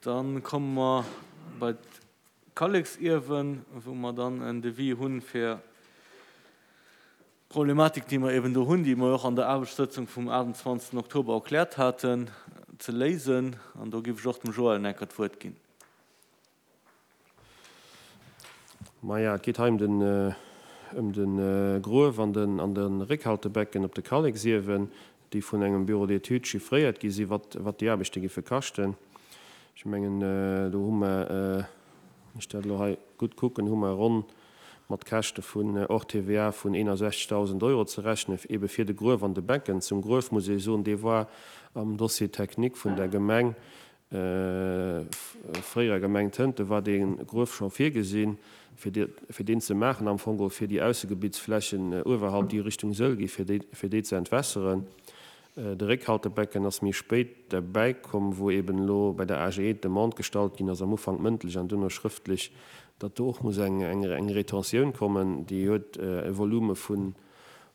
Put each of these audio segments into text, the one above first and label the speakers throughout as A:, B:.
A: Dann komme mer bei d'Kalleksiewen, wou mer dann en Devis hunn, fir d'Problematik, déi mer eben do hunn, déi mer och an der Aarbechtssëtzung vum 28. Oktober erkläert haten, ze léisen. An do géif ech och dem Joël Necker d'Wuert ginn.
B: Maja, et geet hei ëm de Gruef an de Réckhaltebecken op de Kalleksiewen, déi vun engem Bureau d'études chiffréiert gi sinn, wat déi Aarbechte giffe kaschten. Ech mengen, do hu mer, wann ech dat elo hei gutt kucken, hu mer ronn mat Käschte vun hors TVA vun 61.000 Euro ze rechnen, ebe fir de Gruef an de Becken. Zum Gruef muss ee soen, dee war am Dossier technique vun der Gemeng Fréierer Gemeng Tënten war dee Gruef scho virgesinn, fir deen ze maachen, am Fong geholl fir déi Aussegebittsflächen uewerhalb, déi Richtung Sëll gi, fir déi ze entwässeren. De Réckhaltebecken ass méi spéit derbäi komm, wou eben elo bei der AGE d'Demande gestallt ginn ass, am Ufank mëndlech an duerno schrëftlech, datt do och muss eng Retentioun kommen. Déi huet e Volume vun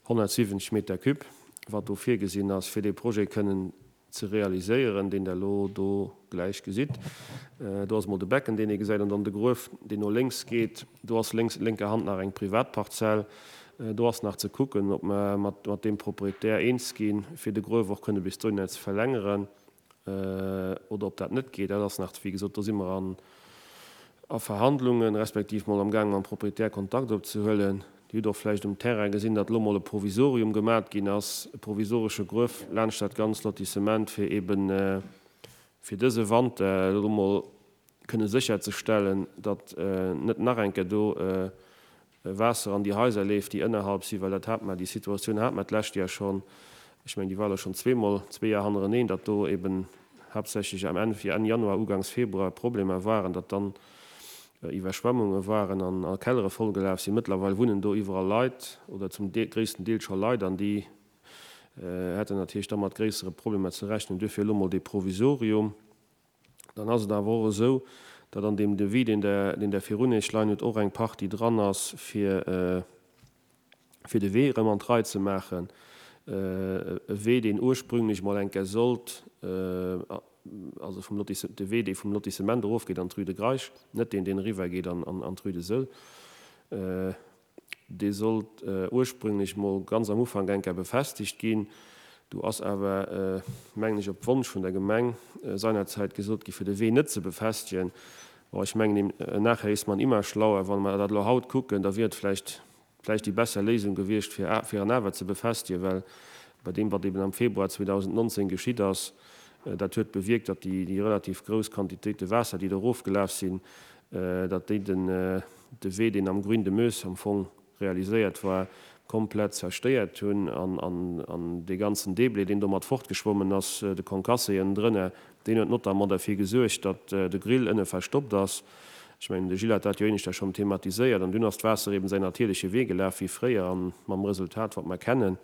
B: 170 Meter cube, wat do virgesinn ass, fir dee Projet kënnen ze realiséieren, deen Der elo do gläich gesitt. Do ass emol de Becken, deen ee gesäit, an dann de Gruef, deen no lénks geet. Do ass lénks, lénker Hand nach eng Privatparzell. Do ass nach ze kucken, ob mer mat mat deem Proprietär eens ginn, fir de Gruef och kënne bis dohinner ze verlängeren, oder ob dat net geet. Dat ass nach, wéi gesot, do si mer an a Verhandlungen, respektiv mol am gaang mam Proprietär Kontakt opzehuelen. Dir hutt och vläicht um Terrain gesinn, datt elo mol e Provisorium gemat ginn ass, e provisoresche Gruef laanscht dat ganzt Lotissement, fir eeben fir dëse Wanter elo mol kënne sécherzestellen, datt net nach eng Kéier do Waasser an déi Haiser leeft, déi ënnerhalb sinn, well dat hat mer, déi Situatioun hat mer d'lescht Joer schonn, ech mengen, déi war elo schonn zweemol, zwee Joer hannereneen, datt do eben haaptsächlech am Enn, Enn Januar, ugangs Februar Problemer waren, datt dann Iwwerschwemmunge waren an a Kellere vollgelaf sinn. Mëttlerweil wunnen do iwwerall Leit oder zum gréissten Deel scho Leit an déi hätten natierlech da mat gréissere Problemer ze rechnen. Duerfir elo mol dee Provisorium. Dann ass et awer och esou, datt an deem Devis, deen Der, deen Der virun Iech leien hutt, och eng Partie dran ass, fir, fir de Wee erëm an d'Rei ze maachen. E Wee, deen ursprünglech mol eng Kéier sollt, also vum Lotisse, de Wee, dee vum Lotissement erofgeet an d'Rue de Greisch, net deen, deen eriwwergeet an, an d'Rue de Sëll. Dee sollt ursprünglech mol ganz am Ufank eng Kéier befestegt ginn. Do ass awer, mengen ech, op Wonsch vun der Gemeng seinerzäit gesot gi fir de Wee net ze befestegen. Bon, ech mengen, im Nachher ist man immer schlauer. Wa mer dat elo haut kucken, da wier et vläicht vläicht déi besser Léisung gewiescht, fir fir en awer ze befestegen, well bei deem, wat eben am Februar 2019 geschitt ass, dat huet bewierkt, datt déi déi relativ grouss Quantitéite Waasser, déi do erofgelaf sinn, datt déi den de Wee, deen am Grün de Meuse am Fong realiséiert war, komplett zerstéiert hunn an dee ganzen Deblé, deen domat fortgeschwommen ass, de Concassé ënnendrënner, deen huet notamment derfir gesuergt, datt de Grill ënne verstoppt ass. Ech mengen, de Gilles hat dat jo éineschter schonn thematiséiert. An dunn ass d'Waasser eben säin natierleche Wee gelaf wéi fréier an mam Resultat, wat mer kennen.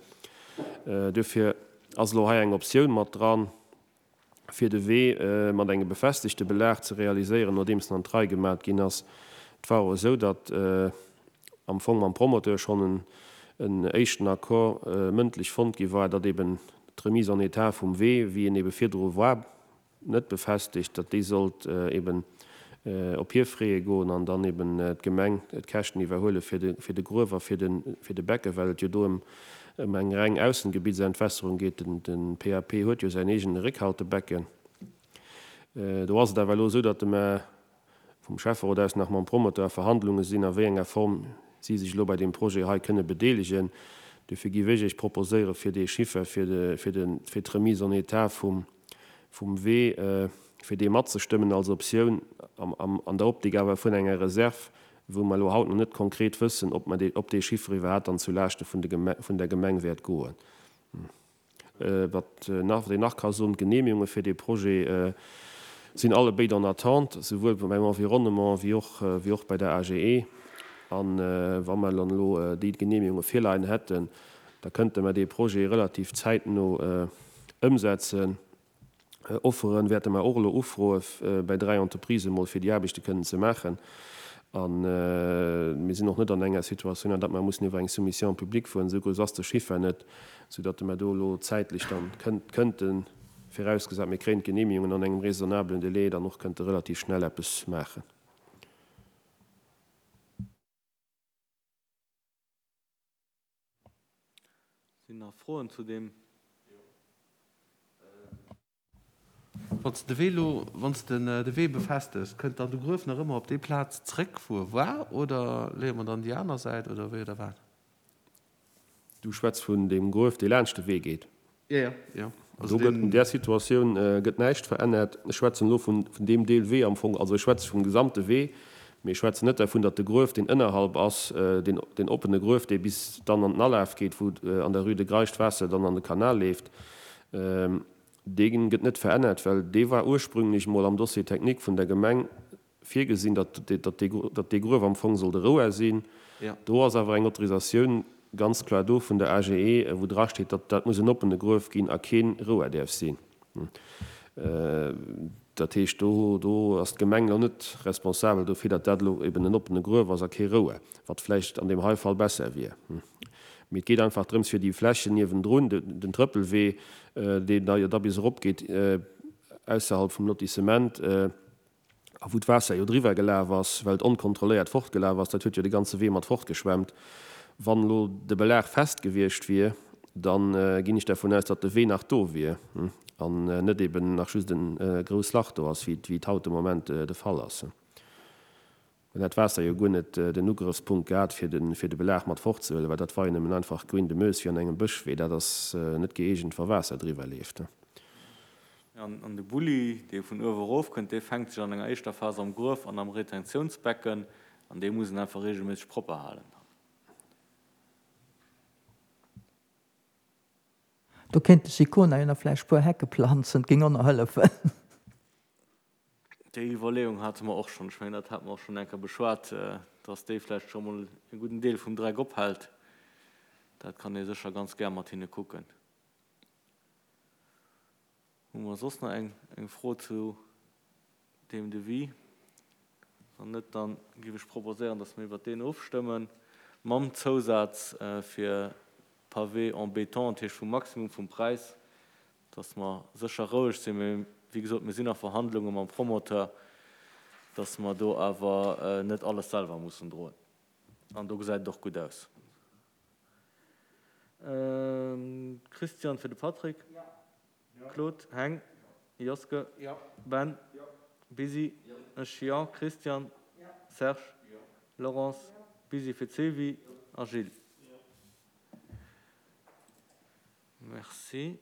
B: Duerfir ass elo hei eng Optioun mat dran, fir de Wee mat engem befestegte Belag ze realiséieren, nodeems en an d'Rei gemat ginn ass. Et war och esou, datt am Fong mam Promoteur schonn en éischten Accord mëndlech fonnt gi war, datt eben d'Remise en état vum Wee, wéi en ebe virdru war, net befestegt, datt déi sollt eben op hir Frais goen an dann eben d'Gemeng d'Käschten iwwerhuele fir de Gruef a fir de Becke, well et jo do ëm eng reng Aussengebietsentwässerung geet. De PAP huet jo säin eegene Réckhaltebecken. Do ass et awer elo esou, datt mer vum Schäfferot aus nach mam Promoteur a Verhandlunge sinn, a wéi enger Form si sech elo bei deem Projet hei kënne bedeelegen. Dofir géif ech Iech proposéieren, fir dee Chiffer fir d'Remise en état vum vum Wee, fir dee matzestëmmen als Optioun, an der Optik awer vun enger Reserv, wou mer elo haut nach net konkret wëssen, ob mer dee, ob dee Chiffre iwwerhaapt dann zu Laaschte vun de vun der Gemeng wäert goen. Wat nach, wat een nach ka soen, D'Genehmigunge fir dee Projet sinn allebéid en attente, souwuel beim Environnement wéi och, wéi och bei der AGE. A wa mer dann elo déi Genehmigunge virleien hätten, da kënnte mer dee Projet relativ zäitno ëmsetzen. Offere wäerte mer och elo ufroe bei 3 Entreprisen emol, fir déi Aarbechte kënnen ze maachen. A mir sinn och net an enger Situatioun, an datt mer mussen iwwer eng Soumission publique fueren. Esou grouss ass de Chiffer net, soudatt mer do elo zäitlech dann kënnte. virausgesat mir kréien d'Genehmigungen an engem raisonnablen Délai, dann och kënnte relativ schnell eppes maachen.
A: Sinn nach Froen zu deem? Wann s de de Wee elo, wann s de de Wee befestegs, kënnt dann de Gruef nach ëmmer op déi Plaz zréck, wou e war, oder leeë mer dann déi aner Säit, oder wéi oder wat?
B: Du schwätz vun deem Gruef, dee laanscht de Wee geet?
A: Jo, jo, jo.
B: Also do gëtt, an där Situatioun gëtt näischt verännert. Ech schwätzen elo vun deem Deel Wee am Fong, also ech schwätze vum gesamte Wee, mee ech schwätzen net dervun, datt de Gruef, deen ënnerhalb ass, deen, deen oppene Gruef, dee bis dann an den Alaf geet, wou an der Rue de Greisch d'Waasser dann an de Kanal leeft, Dee gëtt net verännert, well dee war ursprünglech mol am Dossier technique vun der Gemeng virgesinn, datt dee Gruef am Fong sollt e Rouer sinn. Do ass awer eng Autorisatioun ganz kloer do vun der AGE, wou drasteet, datt dat muss en oppene Gruef ginn a kee Rouer däerf sinn. Dat heescht, do do ass d'Gemeng elo net responsabel dofir, datt dat elo eben en oppene Gruef ass a kee Rouer, wat vläicht an deem hei Fall besser wier. Mee et geet einfach drëms, fir déi Flächen niewendrun, den Trëppelwee, deen da jo da bis eropgeet ausserhalb vum Lotissement, a wou d'Waasser jo driwwer gelaf ass, well et onkontrolléiert fortgelaf ass, dat huet jo de ganze Wee mat fortgeschwemmt. Wann elo de Belag fest gewiescht wier, da ginn ech dervun aus, datt de Wee nach do wier an net eben nach just e grouss Lach do ass, wéi et haut de Moment de Fall ass. Dann hätt d'Waasser jo guer net den Ugrëffspunkt gehat, fir de Belag mat fortzehuelen, well dat war jo nëmmen einfach Grün de Meuse wéi an engem Bëschwee. Dat ass net gëeegent, wa Waasser driwwer leeft.
A: An de Bulli, dee vun uewe erof kënnt, dee fänkt sech an enger éischter Phas am Gruef an am Retentiounsbecken an dee muss een einfach reegelméisseg propper halen dann.
C: Do kéint de Sicona jo nach vläicht puer Hecke planzen, 't géing och nach hëllefen.
A: Déi Iwwerleeung hate mer och schonn. Ech mengen, dat hate mer och schonn eng Kéier beschwat, dass déi vläicht scho mol e gudden Deel vum Dreck ophält. Dat kann ee sécher ganz gär mat hinne kucken. Hu mer soss nach eng eng Fro zu deem Devis? Wann net, da géif ech proposéieren, dass mer iwwert deen ofstëmmen, mam Zousaz fir Pavé en béton, dat heescht vum Maximum vum Präis, dass mer sécher roueg sinn, mee wéi gesot, mir sinn a Verhandlunge mam Promoteur, dass mer do awer net alles selwer mussen droen. An do gesäit et och gutt aus. Christian fir de Patrick, Claude, Heng, Joske, Ben, Busy, ech, jo, Christian, Serge, Laurence, Busy fir d'Sylvie a Gilles. Merci.